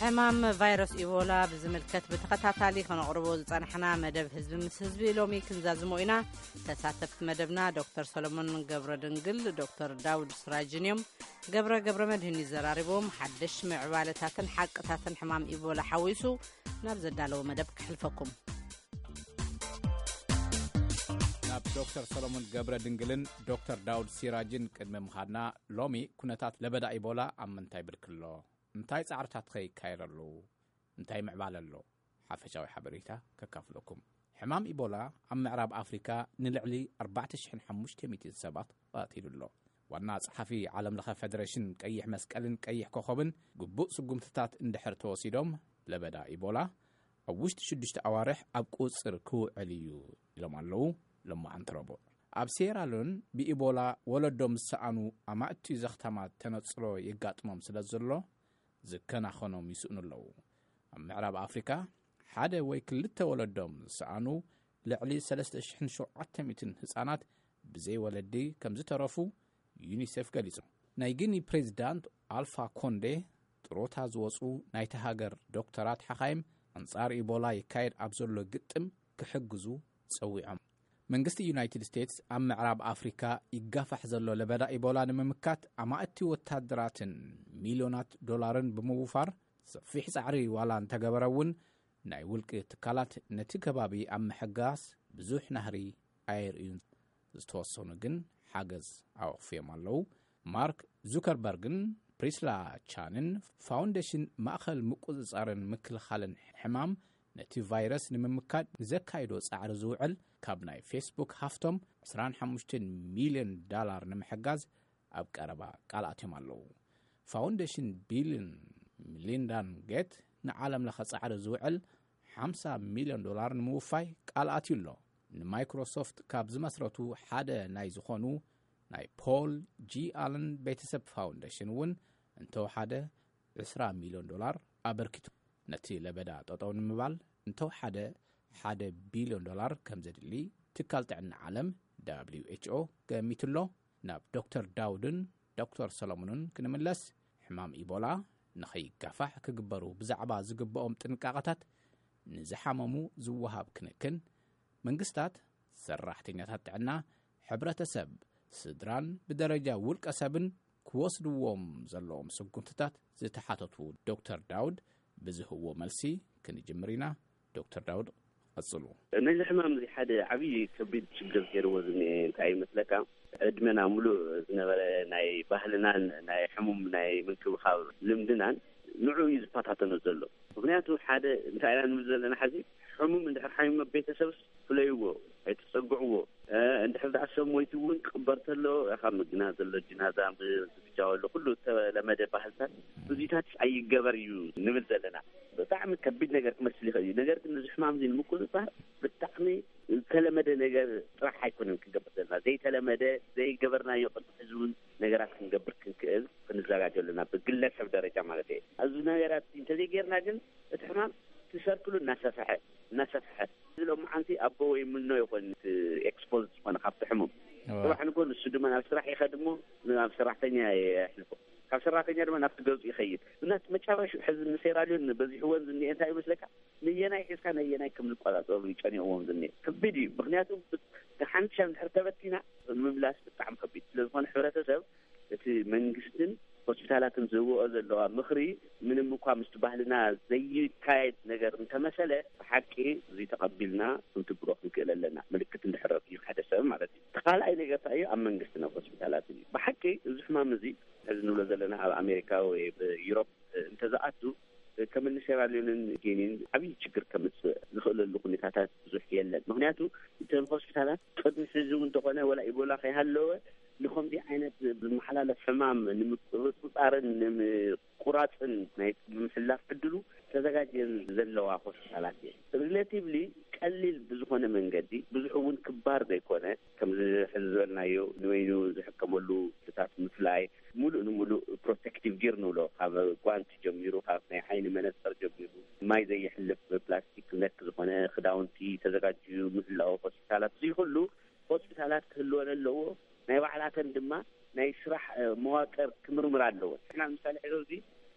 ሕማም ቫይረስ ኢቦላ ብዝምልከት ብተኸታታሊ ከነቕርቦ ዝጸናሕና መደብ ህዝቢ ምስ ህዝቢ ሎሚ ክንዛዝሞ ኢና። ተሳተፍቲ መደብና ዶክተር ሰሎሞን ገብረ ድንግል፣ ዶክተር ዳውድ ስራጅን እዮም። ገብረ ገብረ መድህን ይዘራርቦም ሓደሽ ምዕባለታትን ሓቅታትን ሕማም ኢቦላ ሓዊሱ ናብ ዘዳለዎ መደብ ክሕልፈኩም። ናብ ዶክተር ሰሎሞን ገብረ ድንግልን ዶክተር ዳውድ ሲራጅን ቅድሚ ምኻድና፣ ሎሚ ኩነታት ለበዳ ኢቦላ ኣብ ምንታይ ብርክሎ? እንታይ ጻዕርታትኸ ይካየድ ኣሎ? እንታይ ምዕባለ ኣሎ? ሓፈሻዊ ሓበሬታ ከካፍለኩም። ሕማም ኢቦላ ኣብ ምዕራብ ኣፍሪካ ንልዕሊ ኣርባዕተ ሽሕን ሓሙሽተ ሚእትን ሰባት ቀቲሉ ኣሎ። ዋና ጸሓፊ ዓለም ለኸ ፌደሬሽን ቀይሕ መስቀልን ቀይሕ ኮኸብን፣ ግቡእ ስጉምትታት እንድሕር ተወሲዶም፣ ለበዳ ኢቦላ ኣብ ውሽጢ ሽዱሽተ ኣዋርሕ ኣብ ቁጽር ክውዕል እዩ ኢሎም ኣለዉ። ሎማዓንቲ ረቡዕ ኣብ ሴራሎን ብኢቦላ ወለዶም ዝሰኣኑ ኣማእቲ ዘኽታማት ተነጽሎ የጋጥሞም ስለ ዘሎ፣ ዝከናኸኖም ይስእኑ ኣለዉ። ኣብ ምዕራብ ኣፍሪካ ሓደ ወይ ክልተ ወለዶም ዝሰኣኑ ልዕሊ ሰለስተ ሽሕን ሸውዓተ ሚእትን ህጻናት ብዘይ ወለዲ ከም ዝተረፉ ዩኒሴፍ ገሊጹ። ናይ ጊኒ ፕሬዚዳንት ኣልፋ ኮንዴ፣ ጥሮታ ዝወጹ ናይቲ ሃገር ዶክተራት ሓኻይም፣ ኣንጻር ኢቦላ ይካየድ ኣብ ዘሎ ግጥም ክሕግዙ ጸዊዖም። መንግስቲ ዩናይትድ ስቴትስ ኣብ ምዕራብ ኣፍሪካ ይጋፋሕ ዘሎ ለበዳ ኢቦላ ንምምካት ኣማእቲ ወታደራትን ሚልዮናት ዶላርን ብምውፋር ሰፊሕ ጻዕሪ ዋላ እንተገበረ እውን፣ ናይ ውልቂ ትካላት ነቲ ከባቢ ኣብ ምሕጋዝ ብዙሕ ናህሪ ኣየርእዩን። ዝተወሰኑ ግን ሓገዝ ኣወኽፍዮም ኣለዉ። ማርክ ዙከርበርግን ፕሪስላ ቻንን ፋውንዴሽን ማእኸል ምቁጽጻርን ምክልኻልን ሕማም ነቲ ቫይረስ ንምምካድ ንዘካይዶ ጻዕሪ ዝውዕል ካብ ናይ ፌስቡክ ሃፍቶም ዕስራን ሓሙሽተን ሚልዮን ዳላር ንምሕጋዝ ኣብ ቀረባ ቃል ኣትዮም ኣለዉ። ፋውንዴሽን ቢልን ሚሊንዳን ጌት ንዓለም ለኸ ጻዕሪ ዝውዕል ሓምሳ ሚልዮን ዶላር ንምውፋይ ቃል ኣትዩ ኣሎ። ንማይክሮሶፍት ካብ ዝመስረቱ ሓደ ናይ ዝኾኑ ናይ ፖል ጂ ኣለን ቤተሰብ ፋውንዴሽን እውን እንተወሓደ ዕስራ ሚልዮን ዶላር ኣበርኪቱ። ነቲ ለበዳ ጠጠው ንምባል እንተወሓደ ሓደ ቢልዮን ዶላር ከም ዘድሊ ትካል ጥዕና ዓለም ደብሊው ኤች ኦ ገሚቱ ኣሎ። ናብ ዶክተር ዳውድን ዶክተር ሰሎሞንን ክንምለስ፣ ሕማም ኢቦላ ንኸይጋፋሕ ክግበሩ ብዛዕባ ዝግብኦም ጥንቃቐታት፣ ንዝሓመሙ ዝወሃብ ክንክን፣ መንግስታት፣ ሰራሕተኛታት ጥዕና፣ ሕብረተሰብ፣ ስድራን ብደረጃ ውልቀ ሰብን ክወስድዎም ዘለዎም ስጉምትታት ዝተሓተቱ ዶክተር ዳውድ ብዝህብዎ መልሲ ክንጅምር ኢና። ዶክተር ዳውድ፣ ቀጽሉ። ነዚ ሕማም እዚ ሓደ ዓብዪ ከቢድ ችግር ገይርዎ ዝኒኤ እንታይ ይመስለካ? ዕድመና ሙሉእ ዝነበረ ናይ ባህልናን ናይ ሕሙም ናይ ምንክብኻብ ልምድናን ንዑ እዩ ዝፈታተኖ ዘሎ። ምኽንያቱ ሓደ እንታይ ኢና ንብል ዘለና፣ ሓዚ ሕሙም እንድሕር ሓሚሙ ቤተሰብስ ፍለይዎ፣ ኣይትጸግዕዎ። እ፣ እንድሕር ደኣ ሰብ ሞይቱ እውን ክቕበር ተሎ፣ ካብ ምግና ዘሎ ጅናዛ ምዝግጃው ኣሎ፣ ኩሉ እተለመደ ባህልታት እዚታት ኣይገበር እዩ ንብል ዘለና። ብጣዕሚ ከቢድ ነገር ክመስል ይኽእል እዩ። ነገር ግን ነዚ ሕማም እዚ ንምቁፅፃር ብጣዕሚ ዝተለመደ ነገር ጥራሕ ኣይኮነን ክንገብር ዘለና። ዘይተለመደ፣ ዘይገበርናዮ ቅድሚ ሕዚ እውን ነገራት ክንገብር ክንክእል ክንዘጋጀ ኣለና፣ ብግለሰብ ደረጃ ማለት እየ። ኣብዚ ነገራት እንተዘይጌርና ግን እቲ ሕማም እቲ ሰርክሉ እናሰፍሐ እናሰፍሐ፣ እዚ ሎማዓንቲ ኣቦ ወይ ምኖ ይኾን እቲ ኤክስፖዝ ዝኾነ ካብቲ ሕሙም። እዋ። ጽባሕ ንጎ ንሱ ድማ ናብ ስራሕ ይኸድ እሞ ናብ ሰራሕተኛ የሕልፎ፣ ካብ ሰራሕተኛ ድማ ናብቲ ገጹ ይኸይድ። እና እቲ መጨረሻ ሕዚ ንሴራልዮን በዚሕወን ዝኒኤ እንታይ ይመስለካ? ነየናይ ሒዝካ ነየናይ ከም ዝቆጻጸሩ ይጨኒቕዎም ዝኒኤ ከቢድ እዩ። ምክንያቱ ሓንሻ እንድሕር ተበቲና ምምላስ ብጣዕሚ ከቢድ ስለ ዝኾነ፣ ሕብረተሰብ እቲ መንግስትን ሆስፒታላትን ዝህብኦ ዘለዋ ምኽሪ ምንም እኳ ምስቲ ባህልና ዘይካየድ ነገር እንተመሰለ፣ ብሓቂ እዚ ተቐቢልና ክንትግብሮ ክንክእል ኣለና። ምልክት እንድሕር ረኺቡ ሓደ ሰብ ማለት እዩ። እቲ ካልኣይ ነገር እንታይ እዩ? ኣብ መንግስትን ኣብ ሆስፒታላትን እዩ። ብሓቂ እዚ ሕማም እዚ ሕዚ ንብሎ ዘለና ኣብ ኣሜሪካ ወይ ኣብ ዩሮፕ እንተዝኣቱ፣ ከም እኒ ሴራልዮንን ጊኒን ዓብዪ ችግር ከምፅእ ዝኽእለሉ ኩነታታት ብዙሕ የለን። ምክንያቱ እተን ሆስፒታላት ቅድሚ ሕዚ እውን እንተኾነ ወላ ኢቦላ ከይሃለወ ንኸምዚ ዓይነት ዝመሓላለፍ ሕማም ንምቁፅፃርን ንምቁራፅን ናይ ምምሕላፍ ዕድሉ ተዘጋጅየን ዘለዋ ሆስፒታላት እየን። ሪሌቲቭሊ ቀሊል ብዝኾነ መንገዲ፣ ብዙሕ እውን ክባር ዘይኮነ፣ ከምዚ ሕዚ ዝበልናዮ ንበይኑ ዝሕከመሉ ክፍልታት ምፍላይ፣ ሙሉእ ንሙሉእ ፕሮቴክቲቭ ጊር ንብሎ፣ ካብ ጓንቲ ጀሚሩ፣ ካብ ናይ ዓይኒ መነፀር ጀሚሩ፣ ማይ ዘየሕልፍ ፕላስቲክ ነክ ዝኾነ ክዳውንቲ ተዘጋጅዩ ምህላው ሆስፒታላት፣ እዚ ኩሉ ሆስፒታላት ክህልወን ኣለዎ። ናይ ባዕላተን ድማ ናይ ስራሕ፣ እ፣ መዋቅር ክምርምር ኣለዎ። ንሕና ምሳሌ ሕዚ ኣብዚ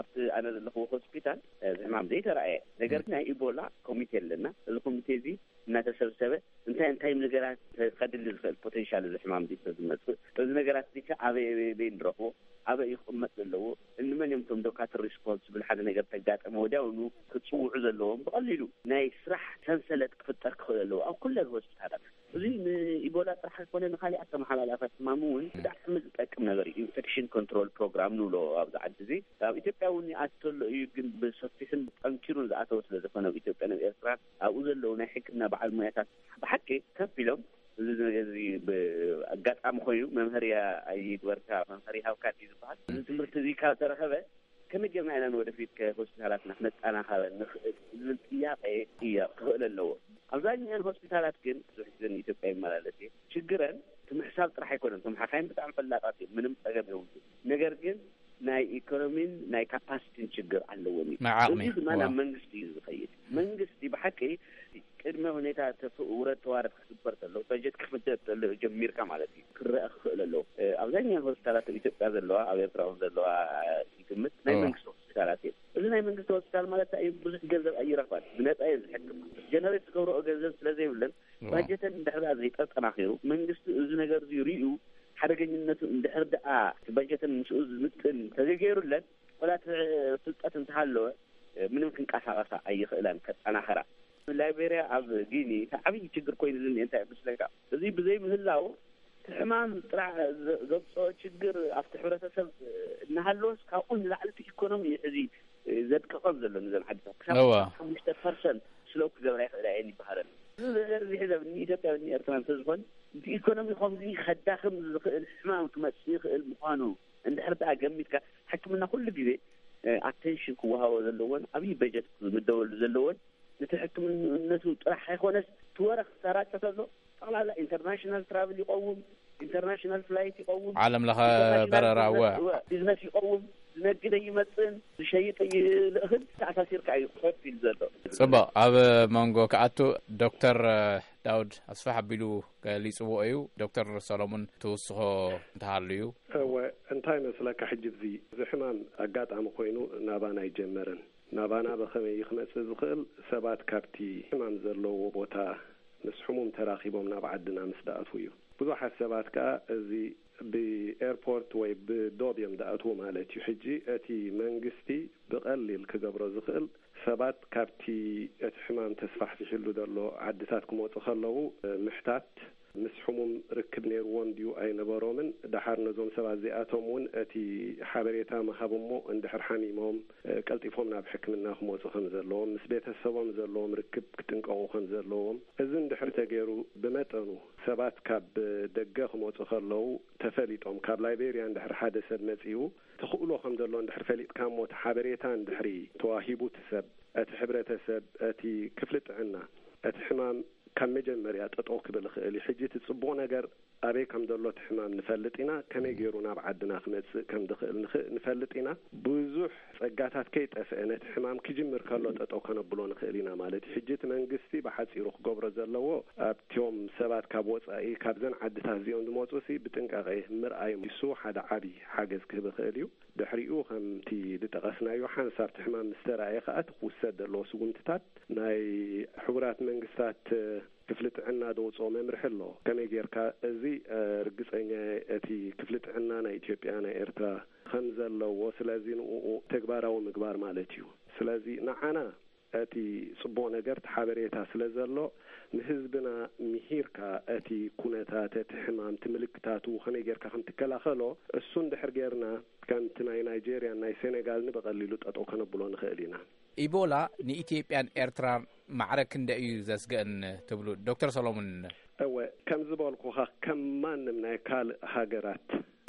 ኣብቲ ኣነ ዘለኹዎ ሆስፒታል እዚ ሕማም ዘይተረኣየ። ነገር ግን ናይ ኢቦላ ኮሚቴ ኣለና። እዚ ኮሚቴ እዚ እናተሰብሰበ እንታይ እንታይ ነገራት ከድሊ ዝኽእል ፖቴንሻል እዚ ሕማም እዚ ዝመፅእ፣ እዚ ነገራት እዚ ከ ኣበይ ኣበይ ኣበይ ንረኽቦ፣ ኣበይ ይቕመጥ ዘለዎ፣ እንመን እዮም እቶም ዶካትር ሪስፖንስብል፣ ሓደ ነገር ተጋጠመ ወዲያውኑ ክፅውዑ ዘለዎም፣ ብቐሊሉ ናይ ስራሕ ሰንሰለት ክፍጠር ክኽእል ኣለዎ ኣብ ኩለን ሆስፒታላት። እዚ ንኢቦላ ጥራሕ ኣይኮነ፣ ንካሊእ ኣተመሓላላፋት ሕማም እውን ብጣዕሚ ዝጠቅም ነገር እዩ። ኢንፌክሽን ኮንትሮል ፕሮግራም ንብሎ ኣብዚ ዓዲ እዚ። ኣብ ኢትዮጵያ እውን ይኣትተሎ እዩ፣ ግን ብሰፊሕን ጠንኪሩን ዝኣተወ ስለ ዝኾነ ኣብ ኢትዮጵያ ናብ ኤርትራ ኣብኡ ዘለዉ ናይ ሕክምና በዓል ሙያታት ብሓቂ ከፍ ኢሎም፣ እዚ ነገር እዚ ብኣጋጣሚ ኮይኑ መምሃርያ ኣይግበርካ፣ መምሃሪ ሃብካ እዩ ዝበሃል። እዚ ትምህርቲ እዚ ካብ ተረኸበ ከመይ ጌርና ኢና ንወደፊት ከሆስፒታላትና ክነጠናኸረ ንኽእል ዝብል ጥያቄ ጥያቄ ክኽእል ኣለዎ። ኣብዛኛን ሆስፒታላት ግን ብዙሕ ግዜ ንኢትዮጵያ ይመላለስ እየ። ችግረን እቲ ምሕሳብ ጥራሕ ኣይኮነን። እቶም ሓካይም ብጣዕሚ ፈላጣት እዮም፣ ምንም ጸገም የብሉ። ነገር ግን ናይ ኢኮኖሚን ናይ ካፓሲቲን ችግር ኣለዎም እዩ። ናይ ዓቕሚ። እዚ ድማ ናብ ዋው። መንግስቲ እዩ ዝኸይድ። መንግስቲ ብሓቂ ቅድመ ሁኔታ ተፍ-፣ ውረድ ተዋረድ ክግበር ተሎ፣ በጀት ክፍደድ ተሎ ጀሚርካ ማለት እዩ ክረአ ክኽእል ኣለዎ። እ፣ ኣብዛኛው ሆስፒታላት ኣብ ኢትዮጵያ ዘለዋ፣ ኣብ ኤርትራ እውን ዘለዋ፣ እ፣ ይግምት ናይ እዋ። መንግስቲ ሆስፒታላት እዮም። እዚ ናይ መንግስቲ ሆስፒታል ማለት እዩ፣ ብዙሕ ገንዘብ ኣይረኽባን፣ ብነፃ እዮም ዝሕክም። ጀነሬት ዝገብረኦ ገንዘብ ስለ ዘይብለን እዋ። ባጀተን እንድሕር ደኣ ዘይተጠናኺሩ፣ መንግስቲ እዚ ነገር እዚ ሪኡ ሓደገኝነቱ እንድሕር ደኣ እቲ ባጀተን ምስኡ ዝምጥን ተዘይገይሩለን፣ ወላ እቲ ፍልጠት እንተሃለወ፣ ምንም ክንቀሳቐሳ ኣይኽእላን፣ ከጠናኸራ። ላይቤርያ ኣብ ጊኒ እቲ ዓብዪ ችግር ኮይኑ ዝኒኤ እንታይ ይመስለካ? እዚ ብዘይምህላው እቲ ሕማም ጥራሕ ዘ-፣ ዘምፅኦ ችግር ኣብቲ ሕብረተሰብ እናሃለወስ ካብኡ ንላዕሊ እቲ ኢኮኖሚ እዩ ሕዚ ዘድቅቐን ዘሎ ንዘን ዓድታት። ክሳብ እዋ። ሓሙሽተ ፐርሰንት ስለው ክገብራ ይኽእላ እየን ይበሃለን። እዚ ነገር እዚ ሕዚ ኣብ ንኢትዮጵያ ንኤርትራ እንተዝኾን እቲ ኢኮኖሚ ከምዚ ከዳኽም ዝኽእል ሕማም ክመፅእ ይኽእል ምዃኑ እንድሕር ደኣ ገሚትካ፣ ሕክምና ኩሉ ግዜ፣ እ፣ ኣቴንሽን ክወሃቦ ዘለዎን ዓብዪ በጀት ክምደበሉ ዘለዎን፣ ነቲ ሕክምንነቱ ጥራሕ ኣይኮነስ፣ እቲ ወረ ክሰራጨ ተሎ፣ ጠቕላላ ኢንተርናሽናል ትራቭል ይቐውም፣ ኢንተርናሽናል ፍላይት ይቐውም፣ ዓለም ለኸ ኢንተርናሽናል በረራ፣ ቢዝነስ፣ እወ። እወ፣ ቢዝነስ ይቐውም፣ ዝነግድ ኣይመጽእን፣ ዝሸይጥ ኣይልእኽን፣ ተኣሳሲርካ እዩ ኮፍ ኢሉ ዘሎ። ጽቡቕ፣ ኣብ መንጎ ክኣቱ ዶክተር ዳውድ ኣስፋሕ ኣቢሉ ገሊጽዎ እዩ። ዶክተር ሰሎሙን ትውስኾ እንተሃልዩ? እወ፣ እንታይ መስለካ፣ ሕጂ እዚ፣ እዚ ሕማም ኣጋጣሚ ኮይኑ ናባና ኣይጀመረን። ናባና ብኸመይ እዩ ክመጽእ ዝኽእል? ሰባት ካብቲ ሕማም ዘለዎ ቦታ ምስ ሕሙም ተራኺቦም ናብ ዓድና ምስ ደኣትዉ እዩ። ብዙሓት ሰባት ከኣ እዚ ብኤርፖርት ወይ ብዶብ እዮም ደኣትዉ ማለት እዩ። ሕጂ እቲ መንግስቲ ብቐሊል ክገብሮ ዝኽእል፣ ሰባት ካብቲ እቲ ሕማም ተስፋሕፊሕሉ ዘሎ ዓድታት ክመጹ ከለዉ ምሕታት፣ ምስ ሕሙም ርክብ ነይርዎም ድዩ ኣይነበሮምን፣ ደሓር ነዞም ሰባት እዚኣቶም እውን እቲ ሓበሬታ ምሃብ እሞ እንድሕር ሓሚሞም ቀልጢፎም ናብ ሕክምና ክመጹ ከም ዘለዎም፣ ምስ ቤተሰቦም ዘለዎም ርክብ ክጥንቀቑ ከም ዘለዎም፣ እዚ እንድሕር ተገይሩ ብመጠኑ ሰባት ካብ ደገ ክመጹ ከለዉ ተፈሊጦም፣ ካብ ላይቤርያ እንድሕር ሓደ ሰብ መጺኡ ተኽእሎ ከም ዘሎ እንድሕር ፈሊጥካ እሞ እቲ ሓበሬታ እንድሕሪ ተዋሂቡ እቲ ሰብ፣ እቲ ሕብረተሰብ፣ እቲ ክፍሊ ጥዕና፣ እቲ ሕማም ካብ መጀመርያ ጠጠው ክብል ይኽእል እዩ። ሕጂ እቲ ጽቡቕ ነገር ኣበይ ከም ዘሎ እቲ ሕማም ንፈልጥ ኢና፣ ከመይ ገይሩ ናብ ዓድና ክመጽእ ከም ዝኽእል ንኽ-፣ ንፈልጥ ኢና። ብዙሕ ጸጋታት ከይጠፍአ ነቲ ሕማም ክጅምር ከሎ ጠጠው ከነብሎ ንኽእል ኢና ማለት እዩ። ሕጂ እቲ መንግስቲ ብሓጺሩ ክገብሮ ዘለዎ ኣብቲኦም ሰባት ካብ ወጻኢ ካብዘን ዓድታት እዚኦም ዝመጹ ሲ ብጥንቃቄ ምርኣዮም ንሱ ሓደ ዓቢ ሓገዝ ክህብ ይኽእል እዩ። ድሕሪኡ ከምቲ ዝጠቐስናዮ ሓንሳብ እቲ ሕማም ምስ ተራእየ ከኣ እቲ ክውሰድ ዘለዎ ስጉምትታት ናይ ሕቡራት መንግስታት ክፍሊ ጥዕና ዘውፅኦ መምርሒ ኣሎ። ከመይ ጌርካ እዚ፣ እ፣ ርግፀኛ እቲ ክፍሊ ጥዕና ናይ ኢትዮጵያ ናይ ኤርትራ ከም ዘለዎ፣ ስለዚ ንኡ ተግባራዊ ምግባር ማለት እዩ። ስለዚ ንዓና እቲ ጽቡቕ ነገር እቲ ሓበሬታ ስለ ዘሎ ንህዝብና ምሂርካ እቲ ኩነታት እቲ ሕማም እቲ ምልክታቱ ከመይ ጌርካ ከም ትከላኸሎ እሱ እንድሕር ጌርና ከምቲ ናይ ናይጄርያን ናይ ሴኔጋልን ብቐሊሉ ጠጠው ከነብሎ ንኽእል ኢና። ኢቦላ ንኢትዮጵያን ኤርትራን ማዕረ ክንደይ እዩ ዘስግእን ትብሉ ዶክተር ሰሎሙን? እወ፣ ከም ዝበልኩኻ ከም ማንም ናይ ካልእ ሃገራት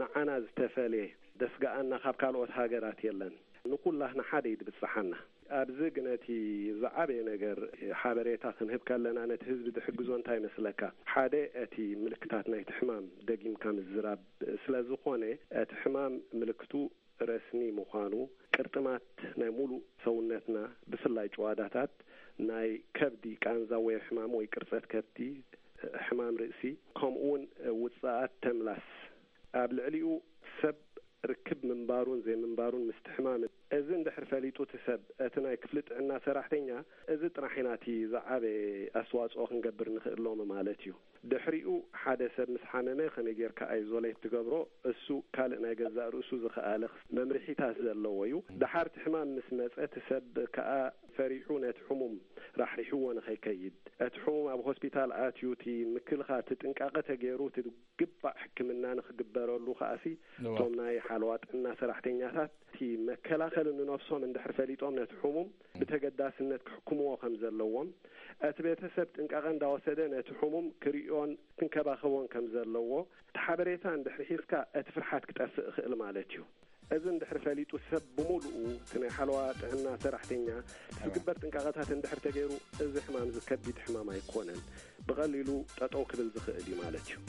ንዓና ዝተፈልየ ደስግኣና ካብ ካልኦት ሃገራት የለን። ንኩላህና ሓደ እዩ ድብጽሓና። ኣብዚ ግን እቲ ዝዓበየ ነገር ሓበሬታ ክንህብ ከለና ነቲ ህዝቢ ዝሕግዞ እንታይ መስለካ? ሓደ እቲ ምልክታት ናይቲ ሕማም ደጊምካ ምዝራብ ስለ ዝኾነ እቲ ሕማም ምልክቱ ረስኒ ምዃኑ፣ ቅርጥማት ናይ ሙሉእ ሰውነትና ብፍላይ ጭዋዳታት ናይ ከብዲ ቃንዛ ወይ ሕማም ወይ ቅርጸት ከብዲ፣ ሕማም ርእሲ፣ ከምኡ እውን ውጽኣት ተምላስ ኣብ ልዕሊኡ ሰብ ርክብ ምንባሩን ዘይምንባሩን ምስቲ ሕማም እዚ እንድሕር ፈሊጡ እቲ ሰብ፣ እቲ ናይ ክፍሊ ጥዕና ሰራሕተኛ፣ እዚ ጥራሕ ኢና እቲ ዝዓበየ ኣስተዋጽኦ ክንገብር ንኽእሎሞ ማለት እዩ። ድሕሪኡ ሓደ ሰብ ምስ ሓመመ ከመይ ጌርካ ኣይዞሌት ትገብሮ? እሱ ካልእ ናይ ገዛእ ርእሱ ዝኸኣለ መምርሒታት ዘለዎ እዩ። ደሓር እቲ ሕማም ምስ መጸ እቲ ሰብ ከኣ ፈሪሑ ነቲ ሕሙም ራሕሪሕዎ ንኸይከይድ፣ እቲ ሕሙም ኣብ ሆስፒታል ኣትዩ እቲ ምክልኻል እቲ ጥንቃቐ ተገይሩ እቲ ግባእ ሕክምና ንኽግበረሉ ከኣሲ እቶም ናይ ሓለዋ ጥዕና ሰራሕተኛታት እቲ መከላኸሊ ንነፍሶም እንድሕር ፈሊጦም ነቲ ሕሙም ብተገዳስነት ክሕክምዎ ከም ዘለዎም፣ እቲ ቤተሰብ ጥንቃቐ እንዳወሰደ ነቲ ሕሙም ክርእዮን ክንከባኸቦን ከም ዘለዎ እቲ ሓበሬታ እንድሕር ሒዝካ እቲ ፍርሓት ክጠፍእ ይኽእል ማለት እዩ። እዚ እንድሕር ፈሊጡ ሰብ ብምሉኡ እቲ ናይ ሓለዋ ጥዕና ሰራሕተኛ እቲ ዝግበር ጥንቃቐታት እንድሕር ተገይሩ እዚ ሕማም እዚ ከቢድ ሕማም ኣይኮነን፣ ብቐሊሉ ጠጠው ክብል ዝኽእል እዩ ማለት እዩ።